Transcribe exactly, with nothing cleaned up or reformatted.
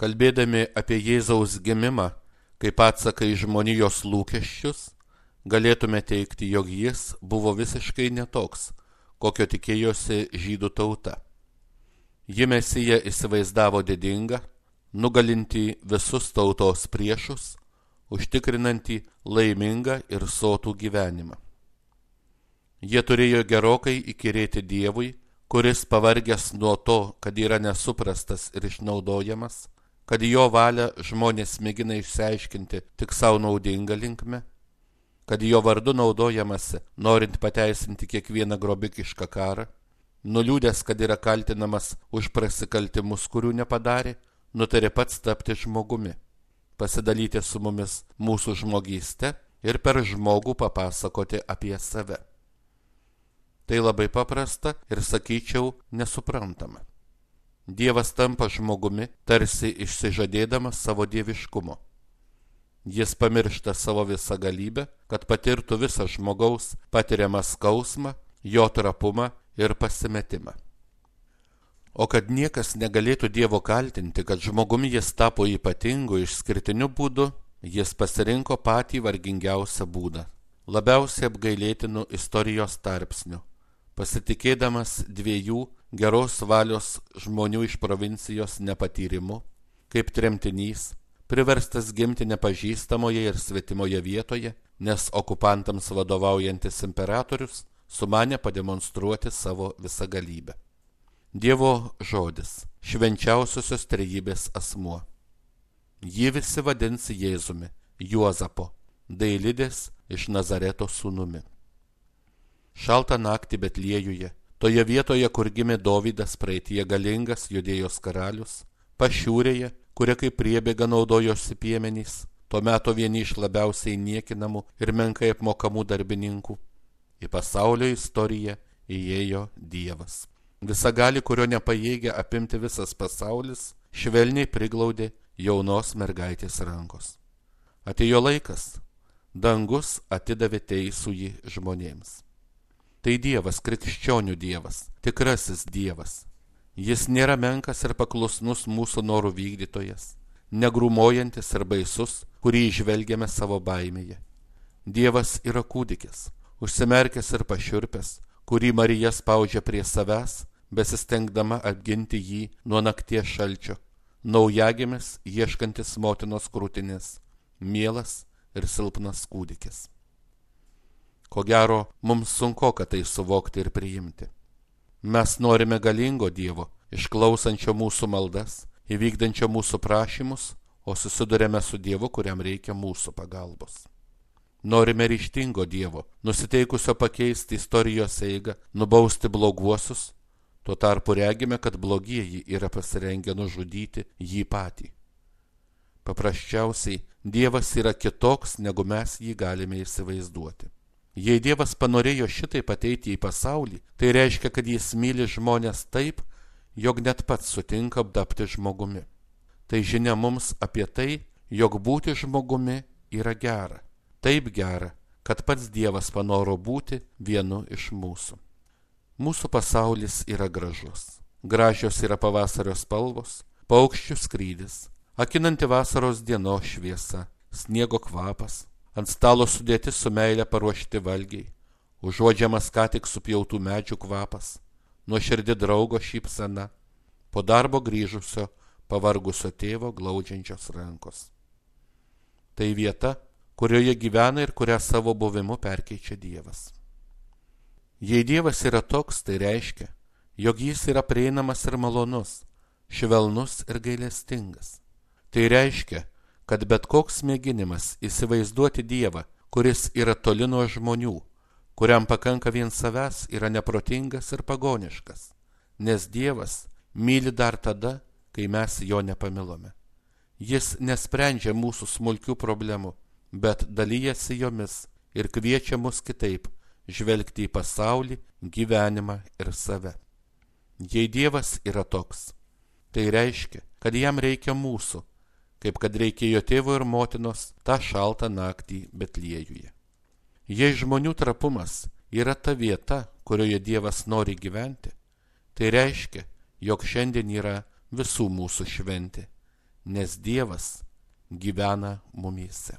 Kalbėdami apie Jėzaus gimimą kaip atsaką į žmonijos lūkesčius, galėtume teigti, jog jis buvo visiškai netoks, kokio tikėjosi žydų tauta. Ji Mesiją įsivaizdavo didingą, nugalintį visus tautos priešus, užtikrinantį laimingą ir sotų gyvenimą. Jie turėjo gerokai įkyrėti Dievui, kuris pavargęs nuo to, kad yra nesuprastas ir išnaudojamas, kad jo valią žmonės mėgina išsiaiškinti tik savo naudingą linkme, kad jo vardu naudojamasi, norint pateisinti kiekvieną grobikišką karą, nuliūdęs, kad yra kaltinamas už prasikaltimus, kurių nepadarė, nutarė pats tapti žmogumi, pasidalyti su mumis mūsų žmogyste ir per žmogų papasakoti apie save. Tai labai paprasta ir, sakyčiau, nesuprantama. Dievas tampa žmogumi, tarsi išsižadėdamas savo dieviškumo. Jis pamiršta savo visą galybę, kad patirtų visą žmogaus patiriamą skausmą, jo trapumą ir pasimetimą. O kad niekas negalėtų Dievo kaltinti, kad žmogumi jis tapo ypatingu, išskirtiniu būdu, jis pasirinko patį vargingiausią būdą, labiausiai apgailėtinų istorijos tarpsnių, pasitikėdamas dviejų geros valios žmonių iš provincijos nepatyrimu, kaip tremtinys, priverstas gimti nepažįstamoje ir svetimoje vietoje, nes okupantams vadovaujantis imperatorius sumanė pademonstruoti savo visagalybę. Dievo žodis, švenčiausiosios trejybės asmuo. Jį visi vadins Jėzumi, Juozapo, Dailidės iš Nazareto sūnumi. Šaltą naktį Betliejuje, toje vietoje, kur gimė Dovydas, praeityje galingas Judėjos karalius, Pašiūrėje, kuria kaip priebėga naudojosi piemenys, tuo metu vieni iš labiausiai niekinamų ir menkai apmokamų darbininkų, į pasaulio istoriją įėjo Dievas. Visagali, kurio nepajėgė apimti visas pasaulis, švelniai priglaudė jaunos mergaitės rankos. Atėjo laikas, dangus atidavė teisųjį žmonėms. Tai Dievas, krikščionių Dievas, tikrasis Dievas. Jis nėra menkas ir paklusnus mūsų norų vykdytojas, negrūmojantis ir baisus, kurį įžvelgiame savo baimėje. Dievas yra kūdikis, užsimerkęs ir pašiurpęs, kurį Marija spaudžia prie savęs, besistengdama apginti jį nuo nakties šalčio, naujagimis ieškantis motinos krūtinės, mielas ir silpnas kūdikis. Ko gero, mums sunku, kad tai suvokti ir priimti. Mes norime galingo Dievo, išklausančio mūsų maldas, įvykdančio mūsų prašymus, o susidurėme su Dievu, kuriam reikia mūsų pagalbos. Norime ryžtingo Dievo, nusiteikusio pakeisti istorijos eigą, nubausti bloguosius, tuo tarpu regime, kad blogieji yra pasirengę nužudyti jį patį. Paprasčiausiai, Dievas yra kitoks, negu mes jį galime įsivaizduoti. Jei Dievas panorėjo šitaip ateiti į pasaulį, tai reiškia, kad jis myli žmonės taip, jog net pats sutinka tapti žmogumi. Tai žinia mums apie tai, jog būti žmogumi yra gera. Taip gera, kad pats Dievas panoro būti vienu iš mūsų. Mūsų pasaulis yra gražus. Gražios yra pavasario spalvos, paukščių skrydis, akinanti vasaros dienos šviesa, sniego kvapas, ant stalo sudėti su meile paruošti valgiai, užuodžiamas ką tik supjautų medžių kvapas, nuoširdi draugo šypsena, po darbo grįžusio, pavargusio tėvo glaudžiančios rankos. Tai vieta, kurioje gyvena ir kurią savo buvimu perkeičia Dievas. Jei Dievas yra toks, tai reiškia, jog jis yra prieinamas ir malonus, švelnus ir gailestingas. Tai reiškia, kad bet koks mėginimas įsivaizduoti Dievą, kuris yra toli nuo žmonių, kuriam pakanka vien savęs, yra neprotingas ir pagoniškas, nes Dievas myli dar tada, kai mes jo nepamilome. Jis nesprendžia mūsų smulkių problemų, bet dalyjasi jomis ir kviečia mus kitaip žvelgti į pasaulį, gyvenimą ir save. Jei Dievas yra toks, tai reiškia, kad jam reikia mūsų, kaip kad reikėjo tėvo ir motinos tą šaltą naktį Betliejuje. Jei žmonių trapumas yra ta vieta, kurioje Dievas nori gyventi, tai reiškia, jog šiandien yra visų mūsų šventė, nes Dievas gyvena mumyse.